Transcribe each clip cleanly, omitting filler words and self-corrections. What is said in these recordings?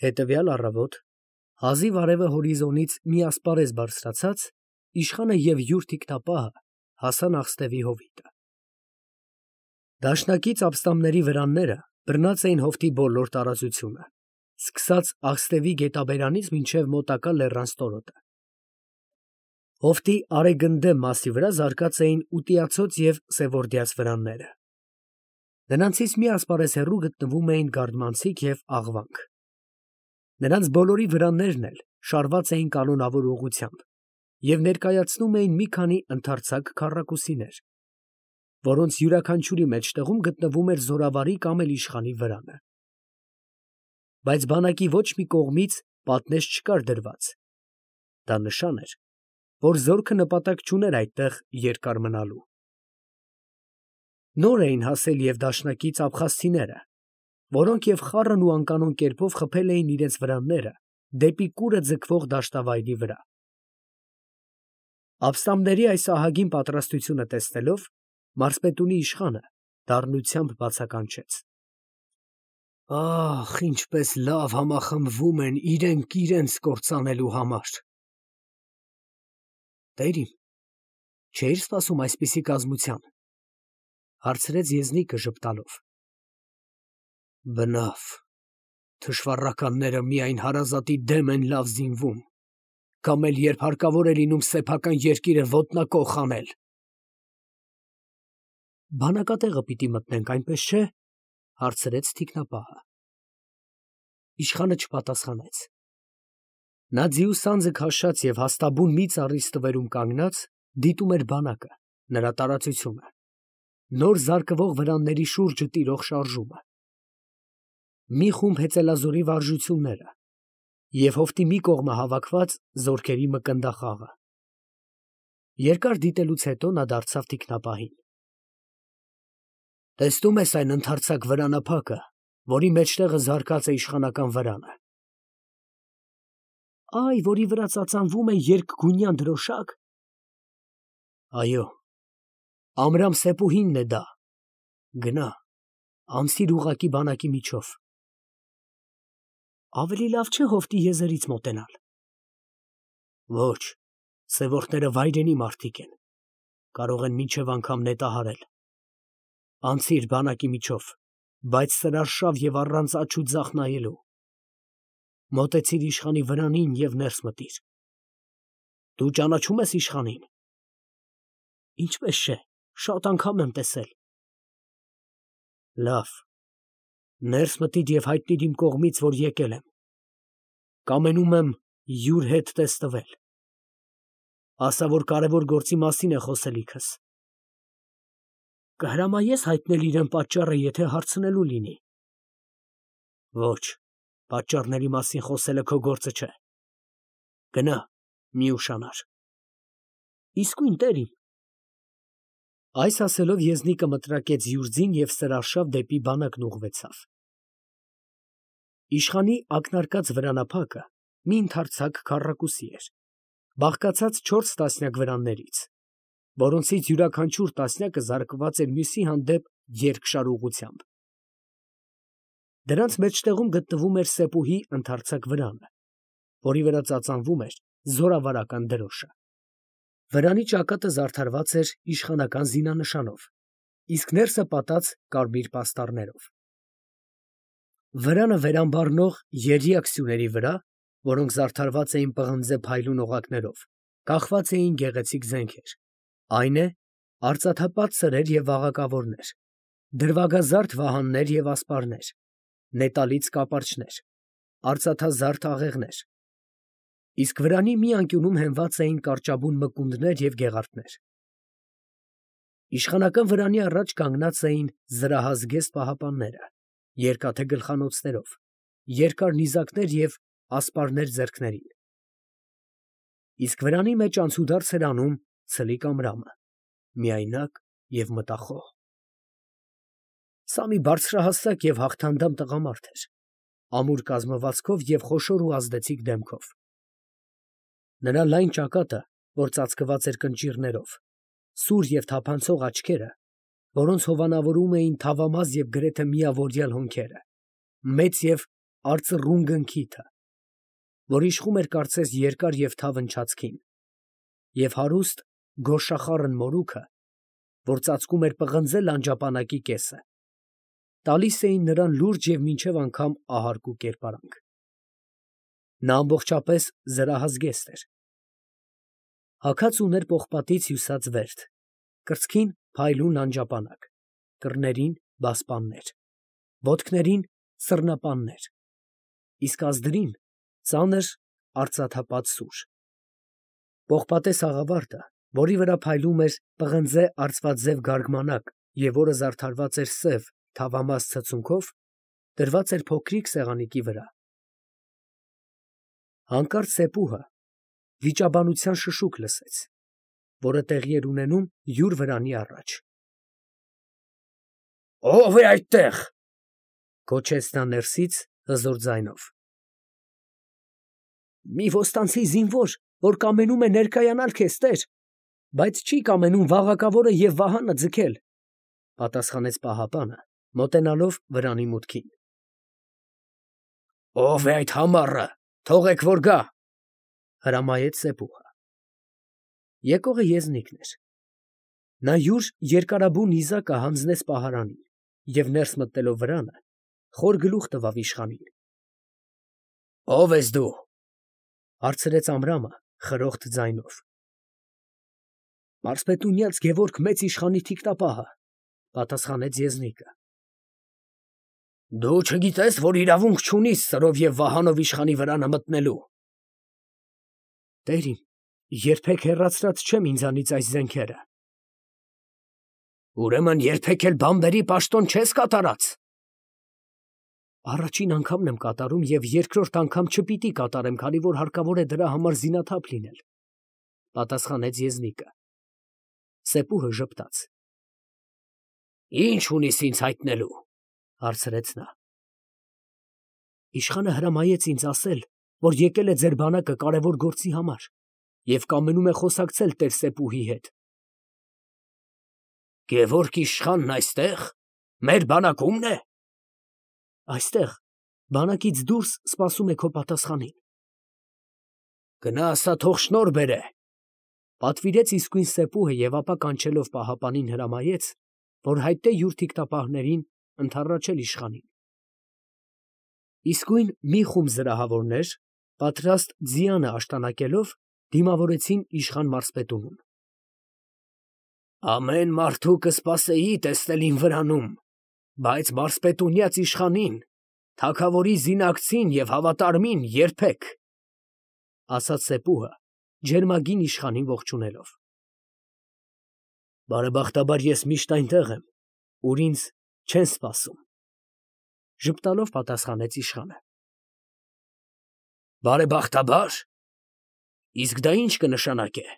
Հետևյալ առավոտ, հազիվ արևը հորիզոնից մի ասպարեզ բարձրացած, իշխանը և յուր թիկնապահը հասան աղստևի հովիտը։ Դաշնակից ապստամբների վրանները բռնած էին հովտի բոլոր տարածությունը, սկսած աղստևի գետաբերանից մինչև մոտակա լեռան ստորոտը։ Հովտի արեգնդեմ մասի վրա զարկած էին ուտիացոց և սևորդյաց վրանները։ Նրանցից մի ասպարեզ հեռու գտնվում էին գարդմանցիկ և աղվանք։ Նրանց բոլորի վրաններն էլ շարված էին կանոնավոր ուղղությամբ և ներկայացնում էին մի քանի ընդարձակ քառակուսիներ, որոնց յուրաքանչյուրի մեջտեղում գտնվում էր զորավարի կամ էլ իշխանի վրանը։ Բայց բանակի ոչ մի կողմից պատնեշ չկար դրված. դա նշան էր, որ զորքը նպատակ չուներ այդտեղ երկար մնալու։ Նոր էին հասել և դաշնակից ապխազցիները, որոնք և խառն ու անկանոն կերպով խփել էին իրենց վրանները դեպի կուրը ձգվող դաշտավայրի վրա։ Ապստամբների այս ահագին պատրաստությունը տեսնելով, մարզպետունի իշխանը դառնությամբ բացականչեց. «Ախ, ինչպես լավ համախմբվում են իրենք իրենց կործանելու համար»։ «Տեր իմ, չէի՞ր սպասում այսպիսի կազմության», հարցրեց եզնիկը ժպտալով։ «Բնավ, թշվառականները միայն հարազատի դեմ են լավ զինվում, կամ էլ երբ հարկավոր է լինում սեփական երկիրը ոտնակոխ անել»։ «Բանակատեղը պիտի մտնենք, այնպես չէ՞, հարցրեց թիկնապահը։ Իշխանը չպատասխանեց։ Նա ձիու սանձը քաշած և հաստաբուն մի ծառի ստվերում կանգնած, դիտում էր բանակը, նրա տարածությունը, նոր զարկվող վրանների շուրջը տիրող շարժումը, մի խումբ հեծելազորի վարժությունները և հովտի մի կողմը հավաքված զորքերի մկնդախաղը։ Երկար դիտելուց հետո նա դարձավ թիկնապահին. «Տեսնում ես այն ընդարձակ վրանափակը, որի մեջտեղը զարկած է իշխանական վրանը։ Այ, որի վրա ծածանվում է երկգույնյան դրոշակ։ Այո, Ամրամ Սեպուհինն է դա. գնա, անցիր ուղղակի բանակի միջով։ Ավելի լավ չէ հովտի եզերից մոտենալ։ Ոչ, սևորդները վայրենի մարդիկ են, կարող են մինչև անգամ նետահարել։ Անցիր բանակի միջով, բայց սրարշավ և առանց աջ ու ձախ նայելու։ Մոտեցիր իշխանի վրանին և ներս մտիր։ Դու ճանաչո՞ւմ ես իշխանին։ Ինչպես չէ, շատ անգամ եմ տեսել։ Լավ, ներս մտիր և հայտնիր իմ կողմից, որ եկել եմ։ Կամենում եմ յուր հետ տեսնվել։ Ասա, որ կարևոր գործի մասին է խոսելիքս։ Կհրամայե՞ս հայտնել իրան պատճառը, եթե հարցնելու լինի։ Ոչ, պատճառների մասին խոսելը քո գործը չէ։ Գնա, մի ուշանար։ Իսկույն, տեր իմ։ Այս ասելով եզնիկը մտրակեց յուր ձին և սրարշավ դեպի բանակն ուղղվեցավ։ Իշխանի ակնարկած վրանափակը մի ընդարձակ քառակուսի էր, բաղկացած 4 տասնյակ վրաններից, որոնցից յուրաքանչյուր տասնյակը զարկված էր մյուսի հանդեպ երկշար ուղղությամբ։ Դրանց մեջտեղում գտնվում էր Սեպուհի ընդարձակ վրանը, որի վրա ծածանվում էր զորավարական դրոշը։ Վրանի ճակատը զարդարված էր իշխանական զինանշանով, իսկ ներսը պատած կարմիր պաստառներով։ Վրանը վերամբառնող եռյակ սյուների վրա, որոնք զարդարված էին պղնձե փայլուն օղակներով, կախված էին գեղեցիկ զենքեր, այն է, արծաթապատ սրեր և վաղակավորներ, դրվագազարդ վահաններ և ասպարներ, նետալից կապարճներ, արծաթազարդ աղեղներ, իսկ վրանի մի անկյունում հենված էին կարճաբուն մկունդներ և գեղարդներ։ Իշխանական վրանի առաջ կանգնած էին զրահազգեստ պահապանները, երկաթե գլխանոցներով, երկար նիզակներ և ասպարներ ձեռքներին։ Իսկ վրանի մեջ անցուդարձ էր անում ցլիկ Ամրամը, միայնակ և մտախոհ։ Սա մի բարձրահասակ և հաղթանդամ տղամարդ էր, ամուր կազմվածքով և խոշոր ու ազդեցիկ դեմքով։ Նրա լայն ճակատը, որ ծածկված էր կնճիռներով, սուր և թափանցող աչքերը, որոնց հովանավորում էին թավամազ և գրեթե միավորյալ հոնքերը, մեծ և արծռուն գնքիթը, որ իշխում էր կարծես երկար և թավ ընչացքին, և հարուստ գորշախառն մորուքը, որ ծածկում էր պղնձե լանջապանակի կեսը, տալիս էին նրան լուրջ և մինչև անգամ ահարկու կերպարանք. նա ամբողջապես զրահազգեստ էր, հագած ուներ պողպատից հյուսած վերթ, կրծքին փայլուն լանջապանակ, կռներին բասպաններ, ոտքներին սռնապաններ, իսկ ազդրին ծանր արծաթապատ սուր. պողպատե սաղավարտը, որի վրա փայլում էր պղնձե արծվածև գարգմանակ և որը զարդարված էր սև թավամաս ցցունքով, դրված էր փոքրիկ սեղանիկի վրա. հանկարծ Սեպուհը վիճաբանության շշուկ լսեց, որը տեղի էր ունենում յուր վրանի առաջ։ «Ո՞վ է այդտեղ» գոչեց նա ներսից հզոր ձայնով։ «Մի ոստանցի զինվոր, որ կամենում է ներկայանալ քեզ, տեր, բայց չի կամենում վաղակավորը և վահանը ձգել», պատասխանեց պահապանը, մոտենալով վրանի մուտքին։ «Ո՞վ է այդ համառը, թողեք, որ գա», հրամայեց Սեպուհը։ Եկողը եզնիկն էր։ Նա յուր երկարաբու նիզակը հանձնեց պահարանին և ներս մտնելով վրանը, խոր գլուխ տվավ իշխանին։ «Ո՞վ ես դու» հարցրեց Ամրամը խրոխտ ձայնով։ «Մարզպետունյաց Գևորգ մեծ իշխանի թիկնապահը», պատասխանեց եզնիկը։ «Դու չգիտես, որ իրավունք չունիս սրով և վահանով իշխանի վրանը մտնելու»։ «Տեր իմ, երբեք հեռացրած չեմ ինձանից այս զենքերը»։ «Ուրեմն երբեք էլ բանբերի պաշտոն չես կատարած»։ «Առաջին անգամն եմ կատարում և երկրորդ անգամ չպիտի կատարեմ, քանի որ հարկավոր է դրա համար զինաթափ լինել», պատասխանեց եզնիկը։ Սեպուհը ժպտաց։ «Ի՞նչ ունիս ինձ հայտնելու», հարցրեց նա։ «Իշխանը հրամայեց ինձ ասել, որ եկել է ձեր բանակը կարևոր գործի համար և կամենում է խոսակցել տեր Սեպուհի հետ»։ «Գևորգ իշխանն այստեղ, մեր բանակում՞ն է»։ «Այստեղ, բանակից դուրս սպասում է քո պատասխանին»։ «Գնա ասա, թող շնորհ բերե», պատվիրեց իսկույն Սեպուհը և ապա կանչելով պահապանին հրամայեց, որ հայտնե յուր թիկնապահներին ընդառաջել իշխանին։ Իսկույն մի խումբ զրահավորներ, պատրաստ ձիանը աշտանակելով, դիմավորեցին իշխան մարզպետունուն։ «Ամեն մարդու կսպասեի տեսնել իմ վրանում, բայց մարզպետունյաց իշխանին, թագավորի զինակցին և հավատարմին երբեք», ասաց Սեպուհը, ջերմագին իշխանին ողջունելով։ «Բարեբախտաբար ես միշտ այնտեղ եմ, ուր ինձ չեն սպասում», ժպտալով պատասխանեց իշխանը։ «Բարեբախտաբա՞ր, իսկ դա ի՞նչ կնշանակե»։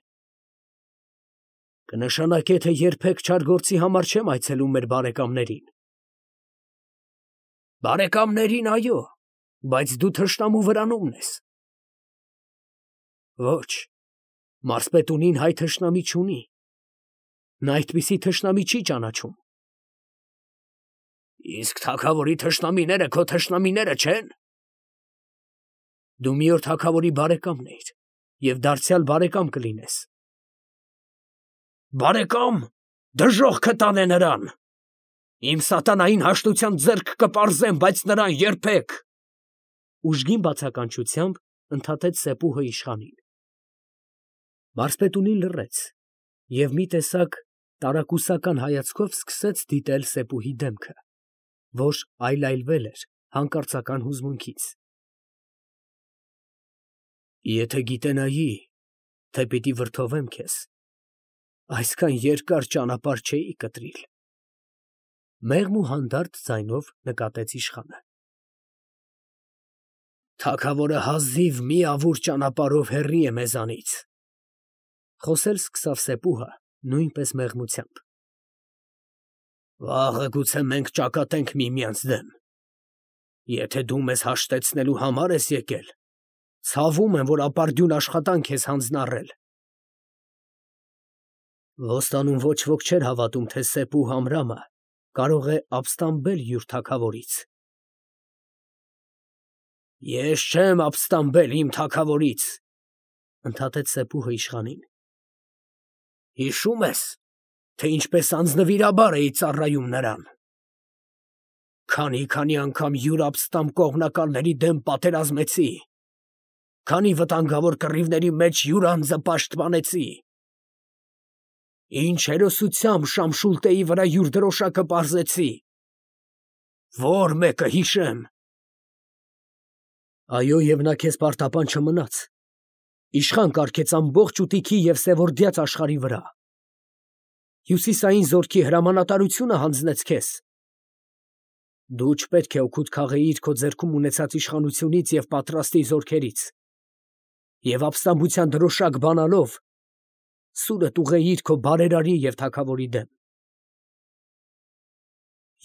«Կնշանակե, թե երբեք չար գործի համար չեմ այցելում մեր բարեկամներին»։ «Բարեկամներին, այո, բայց դու թշնամու վրանումն ես»։ «Ոչ, մարզպետունին հայ թշնամի չունի, նա այդպիսի թշնամի չի ճանաչում»։ «Իսկ թագավորի թշնամիները քո թշնամիները չե՞ն»։ «Դու մի օր թագավորի բարեկամն էիր և դարձյալ բարեկամ կլինես»։ «Բարեկամ, դժոխքը տանե նրան. իմ սատանային հաշտության ձեռք կպարզեմ, բայց նրան երբեք», ուժգին բացականչությամբ ընդհատեց Սեպուհը իշխանին։ Մարզպետունին լռեց և մի տեսակ տարակուսական հայացքով սկսեց դիտել Սեպուհի դեմքը, որ այլայլվել էր հանկարծական հուզմունքից։ «Եթե գիտենայի, թե պիտի վրդովեմ քեզ, այսքան երկար ճանապարհ չէի կտրիլ», մեղմ ու հանդարտ ձայնով նկատեց իշխանը։ «Թագավորը հազիվ մի ավուր ճանապարհով հեռի է մեզանից», խոսել սկսավ Սեպուհը նույնպես մեղմությամբ։ «Վաղը գուցե մենք ճակատենք միմյանց դեմ։ Եթե դու մեզ հաշտեցնելու համար ես եկել, ցավում եմ, որ ապարդյուն աշխատանք ես հանձնառել»։ Ոստանում ոչ ոք չէր հավատում, թե Սեպուհ Ամրամը կարող է ապստամբել յուր թագավորից։ Ես չեմ ապստամբել իմ թագավորից, ընդհատեց Սեփուհը իշխանին։ Հիշում ես, թե ինչպես անձնվիրաբար էի ծառայում նրան։ Քանի անգամ յուր ապստամբ կողմնակալների դեմ պատերազմեցի, քանի վտանգավոր կռիվների մեջ յուր անձը պաշտպանեցի։ Ինչ հերոսությամբ Շամշուլտեի վրա յուր դրոշակը պարզեցի։ Որ մեկը հիշեմ։ Այո, եւ նա քեզ պարտապան չմնաց։ Իշխան կարգեց ամբողջ ուտիքի եւ սևորդյաց աշխարհի վրա։ Հյուսիսային զորքի հրամանատարությունը հանձնեց քեզ։ Դու չպետք է օգուտ քաղեիր քո ձեռքում ունեցած իշխանությունից եւ պատրաստի զորքերից։ Եվ ապստամբության դրոշակ բանալով սուրդ ուղեիր քո բարերարի եւ թագավորի դեմ։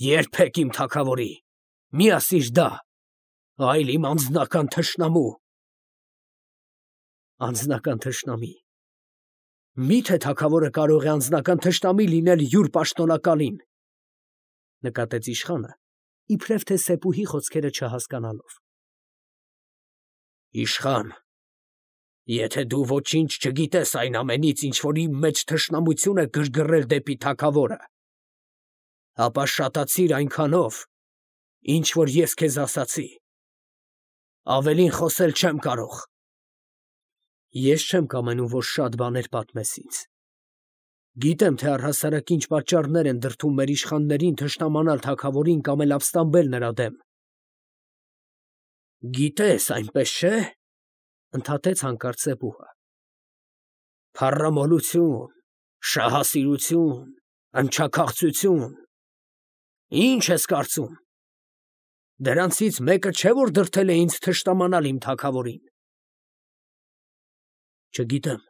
Երբեք իմ թագավորի, մի ասիր դա, այլ իմ անձնական թշնամու։ Անձնական թշնամի։ Մի՞թե թագավորը կարող է անձնական թշնամի լինել յուր պաշտոնակալին, նկատեց իշխանը, իբրև թե Սեփուհի խոսքերը չհասկանալով։ Իշխան, եթե դու ոչինչ չգիտես այն ամենից, ինչ որ իմ մեջ թշնամություն է գրգռել դեպի թագավորը, ապա շատացիր այնքանով, ինչ որ ես քեզ ասացի։ Ավելին խոսել չեմ կարող։ Ես չեմ կամենում, որ շատ բաներ պատմես ինձ։ Գիտեմ, թե առհասարակ ինչ պատճառներ են դրդում մեր իշխաններին թշնամանալ թագավորին կամ էլ ապստամբել նրա դեմ։ Գիտես, այնպես չէ՞, ընդհատեց հանկարծ Սեփուհը։ Փառամոլություն, շահասիրություն, ընչաքաղցություն։ Ինչ ես կարծում։ Դրանցից մեկը չէ, որ դրդել է ինձ թշնամանալ իմ թագավորին։ Չգիտեմ։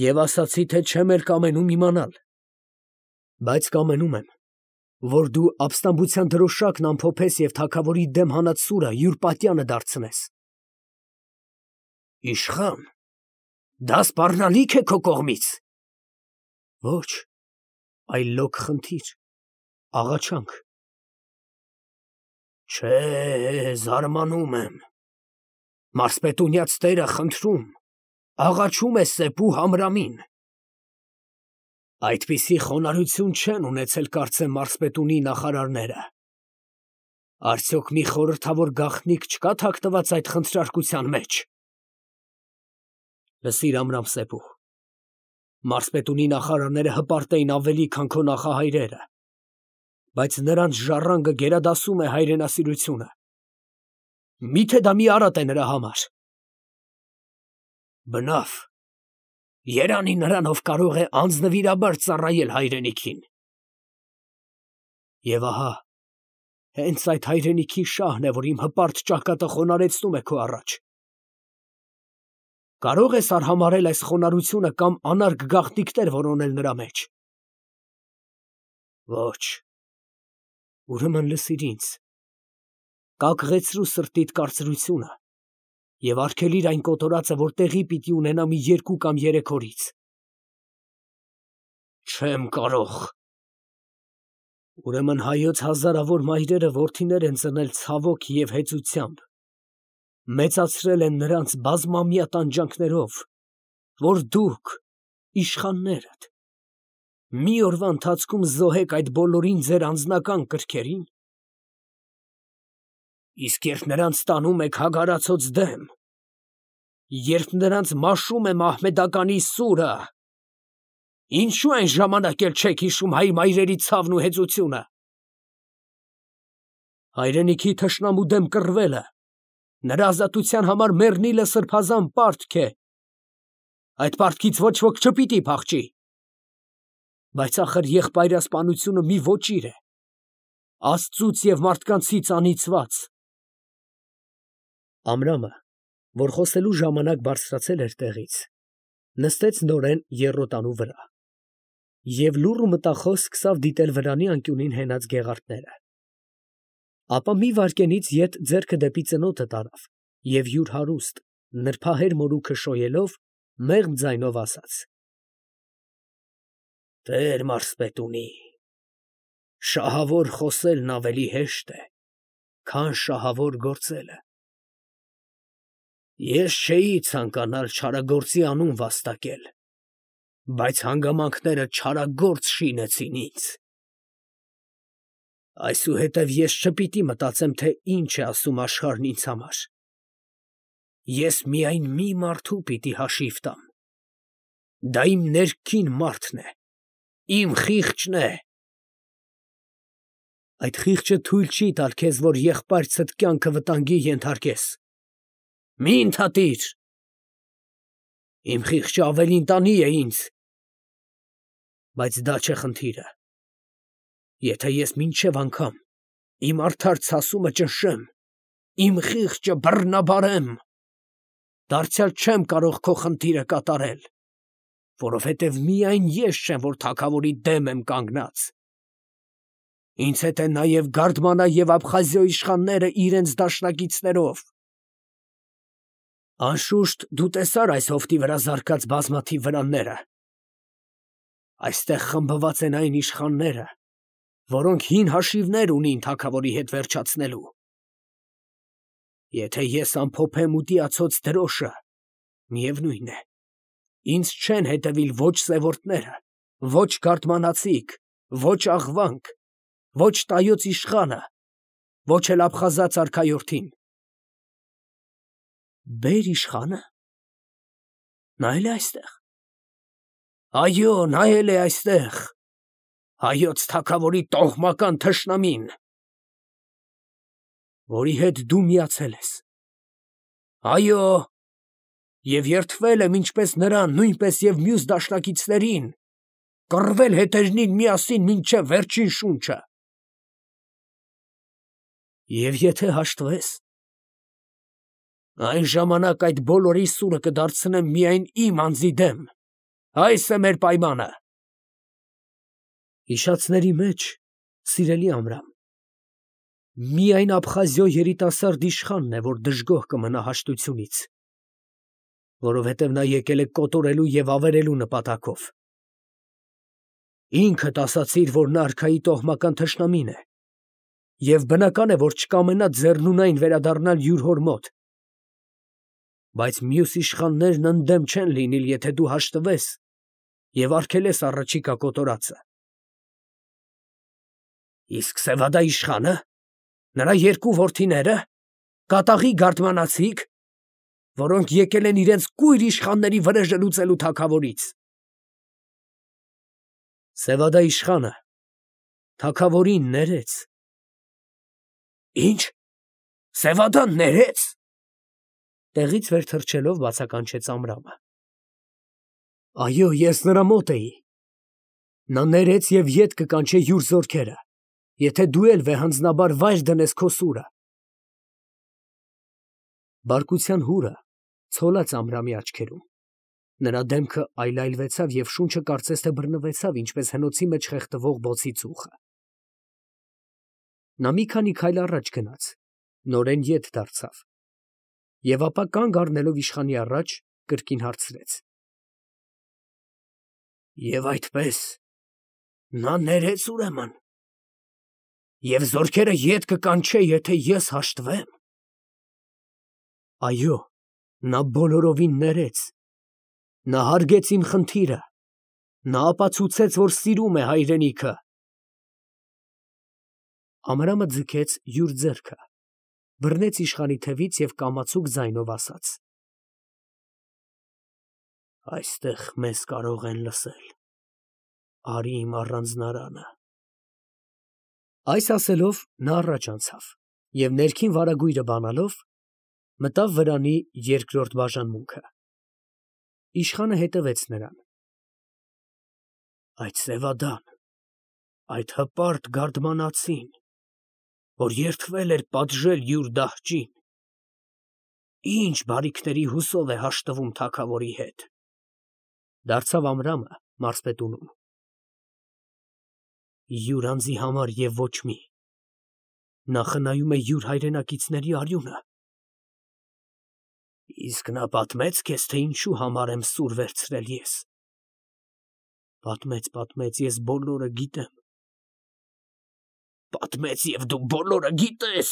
Եվ ասացի, թե չեմ էլ կամենում իմանալ։ Բայց կամենում եմ, որ դու ապստամբության դրոշակն ամփոփես եւ թագավորի դեմ հանած սուրը յուր պատյանը դարձնես։ Իշխան, դա սպառնալիք է քո կողմից։ Ոչ, այլ լոկ խնդիր, աղաչանք։ Չէ, զարմանում եմ։ Մարսպետունյաց տերը խնդրում, աղաչում է Սեփուհ Ամրամին։ Այդպիսի խոնարհություն չեն ունեցել, կարծեմ, մարսպետունի նախարարները։ Արդյոք մի խորհրդավոր գաղտնիք չկա թաքնված այդ խնդրարկության մեջ։ Լսիր, Ամրամ Սեփուհ, մարսպետունի նախարարները հպարտ էին ավելի, քան քո նախահայրերը, բայց նրանց ժառանգը գերադասում է հայրենասիրությունը։ Միթե դա մի արատ է նրա համար։ Բնավ, երանի նրան, ով կարող է անձնվիրաբար ծառայել հայրենիքին։ Եվ ահա, հենց այդ հայրենիքի շահն է, որ իմ հպարտ ճակատը խոնարհեցնում է քո առաջ։ Կարող ես արհամարհել այս խոնարհությունը կամ անարգ գաղտնիքներ որոնել նրա մեջ։ Ոչ։ Ուրեմն լսիր ինձ։ Կակղեցրու սրտիդ կարծրությունը եւ արգելիր այն կոտորածը, որ տեղի պիտի ունենա մի 2 կամ 3 օրից։ Չեմ կարող։ Ուրեմն հայոց հազարավոր մայրերը որդիներ են ծնել ցավոք եւ հեծությամբ, մեծացրել են նրանց բազմամյա տանջանքներով, որ դուք, իշխաններդ, մի օրվա ընթացքում զոհեք այդ բոլորին ձեր անձնական կրքերին։ Իսկ երբ նրանց տանում եք հագարացոց դեմ, երբ նրանց մաշում է մահմեդականի սուրը, ինչու այն ժամանակ էլ չեք հիշում հայ մայրերի ցավն ու հեծությունը։ Հայրենիքի թշնամու դեմ կռվելը, նրա ազատության համար մեռնիլը սրբազան պարտք է։ Այդ պարտքից ոչ ոք չպիտի փախչի։ Բայց ախր եղբայրասպանությունը մի ոճիր է, Աստծուց եւ մարդկանցից անիծված։ Ամրամը, որ խոսելու ժամանակ բարձրացել էր տեղից, նստեց նորեն եռոտանու վրա եւ լուռ ու մտախոս սկսավ դիտել վրանի անկյունին հենած գեղարդները։ Ապա մի վայրկենից ետ ձեռքը դեպի ծնոտը տարավ եւ յուր հարուստ, նրբահեր մորուքը շոյելով, մեղմ ձայնով ասաց. Տեր մարսպետունի, շահավոր խոսելն ավելի հեշտ է, քան շահավոր գործելը։ Ես չէի ցանկանալ չարագործի անուն վաստակել, բայց հանգամանքները չարագործ շինեցին ինձ։ Այսուհետև ես չպիտի մտածեմ, թե ինչ է ասում աշխարհն ինձ համար։ Ես միայն մի մարդու պիտի հաշիվ տամ։ Դա իմ ներքին մարդն է, իմ խիղճն է։ Այդ խիղճը թույլ չի տալ քեզ, որ եղբայրցդ կյանքը վտանգի ենթարկես։ Մի ընդհատիր։ Իմ խիղճը ավելի ընտանի է ինձ։ Բայց դա չէ խնդիրը։ Եթե ես մինչև անգամ իմ արդար ցասումը ճնշեմ, իմ խիղճը բռնաբարեմ, դարձյալ չեմ կարող քո խնդիրը կատարել, որովհետև միայն ես չեմ, որ թագավորի դեմ եմ կանգնած։ Ինձ հետ են նաև Գարդմանա և Աբխազիոյ իշխանները իրենց դաշնակիցներով։ Անշուշտ դու տեսար այս հովտի վրա զարկած բազմաթիվ վրանները։ Այստեղ խմբված են այն իշխանները, որոնք հին հաշիվներ ունին թագավորի հետ վերջացնելու։ Եթե ես ամփոփեմ ու տիացոց դրոշը, միևնույն է, ինձ չեն հետևիլ ոչ սևորդները, ոչ գարդմանացիք, ոչ աղվանք, ոչ տայոց իշխանը, ոչ էլ աբխազաց արքայորդին։ Բեր իշխանը։ Նայել է այստեղ։ Այո, նայել է այստեղ։ Հայոց թագավորի տոհմական թշնամին, որի հետ դու միացել ես։ Այո, և երդվել եմ ինչպես նրան, նույնպես և մյուս դաշնակիցներին, կռվել հետերնին միասին մինչև վերջին շունչը։ Եվ եթե հաշտվես, այն ժամանակ այդ բոլորի սուրը կդարձնեմ միայն իմ անձի դեմ։ Այս է մեր պայմանը։ Հիշածների մեջ, սիրելի Ամրամ, միայն Աբխազիո երիտասարդ իշխանն է, որ դժգոհ կմնա հաշտությունից, որովհետև նա եկել է կոտորելու և ավերելու նպատակով։ Ինքդ ասացիր, որ նա արքայի տոհմական թշնամին է, և բնական է, որ չկամենա ձեռնունայն վերադառնալ յուր հոր մոտ։ Բայց մյուս իշխաններն ընդդեմ չեն լինիլ, եթե դու հաշտվես և արգելես առաջիկա կոտորածը։ Իսկ Սևադա իշխանը, նրա երկու որդիները, կատաղի գարդմանացիք, որոնք եկել են իրենց կույր իշխանների վրեժը լուծելու թագավորից։ Սևադա իշխանը թագավորին ներեց։ Ինչ, Սևադան ներեց։ Տեղից վեր թռչելով բացականչեց Ամրամը։ Այո, ես նրա մոտ էի։ Նա ներեց և ետ կկանչե յուր զորքերը, եթե դու էլ վեհանձնաբար վայր դնես քո սուրը։ Բարկության հուրը ցոլաց Ամրամի աչքերում։ Նրա դեմքը այլայլվեցավ և շունչը կարծես թե բռնվեցավ, ինչպես հնոցի մեջ խեղդվող բոցի ծուխը։ Նա մի քանի քայլ առաջ գնաց, նորեն ետ դարձավ և ապա կանգ առնելով իշխանի առաջ, կրկին հարցրեց. Եվ այդպես նա ներեց ուրեմն, և զորքերը ետ կկանչե, եթե ես հաշտվեմ։ Այո, նա բոլորովին ներեց, նա հարգեց իմ խնդիրը, նա ապացուցեց, որ սիրում է հայրենիքը։ Ամրամը ձգեց յուր ձեռքը, բռնեց իշխանի թևից և կամացուկ ձայնով ասաց. Այստեղ մեզ կարող են լսել, արի իմ առանձնարանը։ Այս ասելով նա առաջ անցավ և ներքին վարագույրը բանալով մտավ վրանի երկրորդ բաժանմունքը։ Իշխանը հետևեց նրան։ Այդ Սևադան, այդ հպարտ գարդմանացին, որ երդվել էր պատժել յուր դահճին, ինչ բարիքների հուսով է հաշտվում թագավորի հետ։ Դարձավ Ամրամը մարզպետունուն։ Յուր անձի համար և ոչ մի։ Նա խնայում է յուր հայրենակիցների արյունը։ Իսկ նա պատմեց քեզ, թե ինչու համար եմ սուր վերցրել ես։ Պատմեց, ես բոլորը գիտեմ։ Պատմեց, և դու բոլորը գիտես։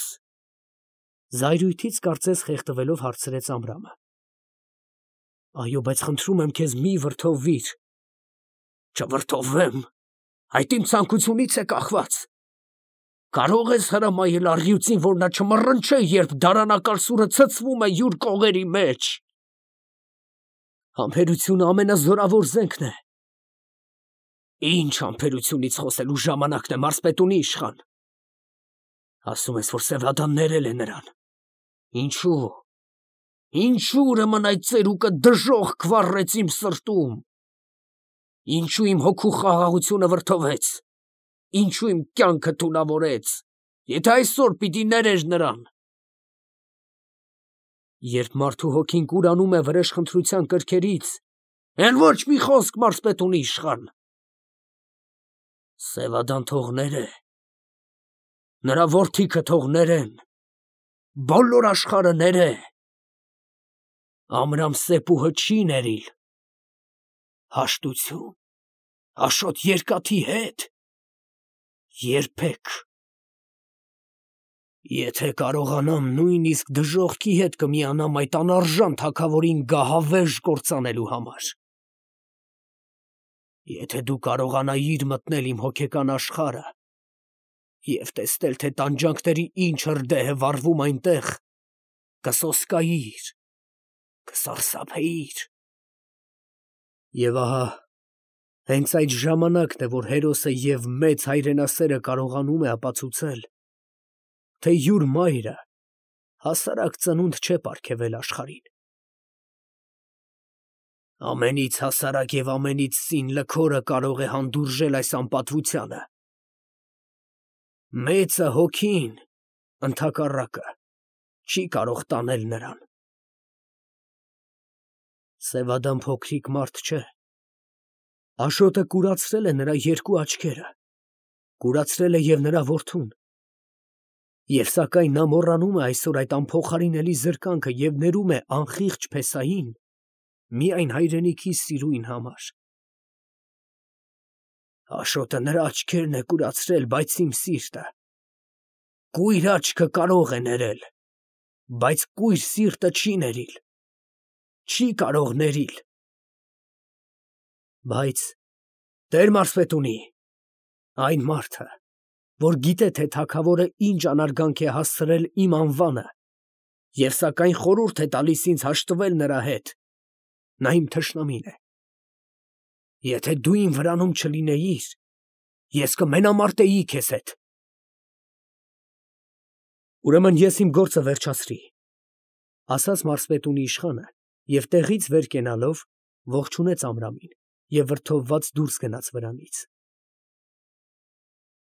Զայրույթից կարծես խեղդվելով հարցրեց Ամրամը։ Այո, բայց խնդրում եմ քեզ մի վրդովվիր։ Չվրդովվեմ, այդ իմ ցանկությունից է կախված։ Կարող ես հրամայել առյուծին, որ նա չմռնչե, երբ դարանակալ սուրը ցցվում է յուր կողերի մեջ։ Համբերությունը ամենազորավոր զենքն է։ Ինչ համբերությունից խոսելու ժամանակն է, մարզպետունի իշխան։ Ասում ես, որ Սևադան ներել է նրան։ Ինչու։ Ինչու ուրեմն այդ ծերուկը դժոխք վառեց իմ սրտում։ Ինչու իմ հոգու խաղաղությունը վրդովեց։ Ինչու իմ կյանքը թունավորեց, եթե այսօր պիտի ներեր նրան։ Երբ մարդու հոգին կուրանում է վրեժխնդրության կրքերից, էլ ոչ մի խոսք, մարզպետունի իշխան։ Սևադան թող ներե։ Նրա որդիքը թող ներեն։ Բոլոր աշխարհը ներե։ Ամրամսեպուհը չի ներիլ։ Հաշտություն, Աշոտ Երկաթի հետ երբեք։ Եթե կարողանամ նույնիսկ դժոխքի հետ կմիանամ այդ անարժան թագավորին գահավեժ կործանելու համար։ Եթե դու կարողանայիր մտնել իմ հոգեկան աշխարհը և տեսնել, թե տանջանքների ինչ հրդեհ է վառվում այնտեղ, կսոսկայիր, կսարսափեիր։ Եվ ահա, հենց այդ ժամանակն է, որ հերոսը և մեծ հայրենասերը կարողանում է ապացուցել, թե յուր մայրը հասարակ ծնունդ չէ պարգևել աշխարհին։ Ամենից հասարակ և ամենից սին լքորը կարող է հանդուրժել այս անպատվությանը։ Մեծը հոգին, ընդհակառակը, չի կարող տանել նրան։ Սևադան փոքրիկ մարդ չէ։ Աշոտը կուրացրել է նրա երկու աչքերը, կուրացրել է և նրա որդուն։ Եվ սակայն նա մոռանում է այսօր այդ անփոխարինելի զրկանքը և ներում է անխիղճ փեսային միայն հայրենիքի սիրույն համար։ Աշոտը նրա աչքերն է կուրացրել, բայց իմ սիրտը։ Կույր աչքը կարող է ներել, բայց կույր սիրտը չի ներիլ, չի կարող ներիլ։ Բայց, Տեր մարզպետունի, այն մարդը, որ գիտե, թե թագավորը ինչ անարգանք է հասցրել իմ անվանը, և սակայն խորհուրդ է տալիս ինձ հաշտվել նրա հետ, նա իմ թշնամին է։ Եթե դու իմ վրանում չլինեիր, ես կմենամարտեի քեզ հետ։ Ուրեմն ես իմ գործը վերջացրի, ասաց մարզպետունի իշխանը և տեղից վեր կենալով ողջունեց Ամրամին և վրդովված դուրս գնաց վրանից։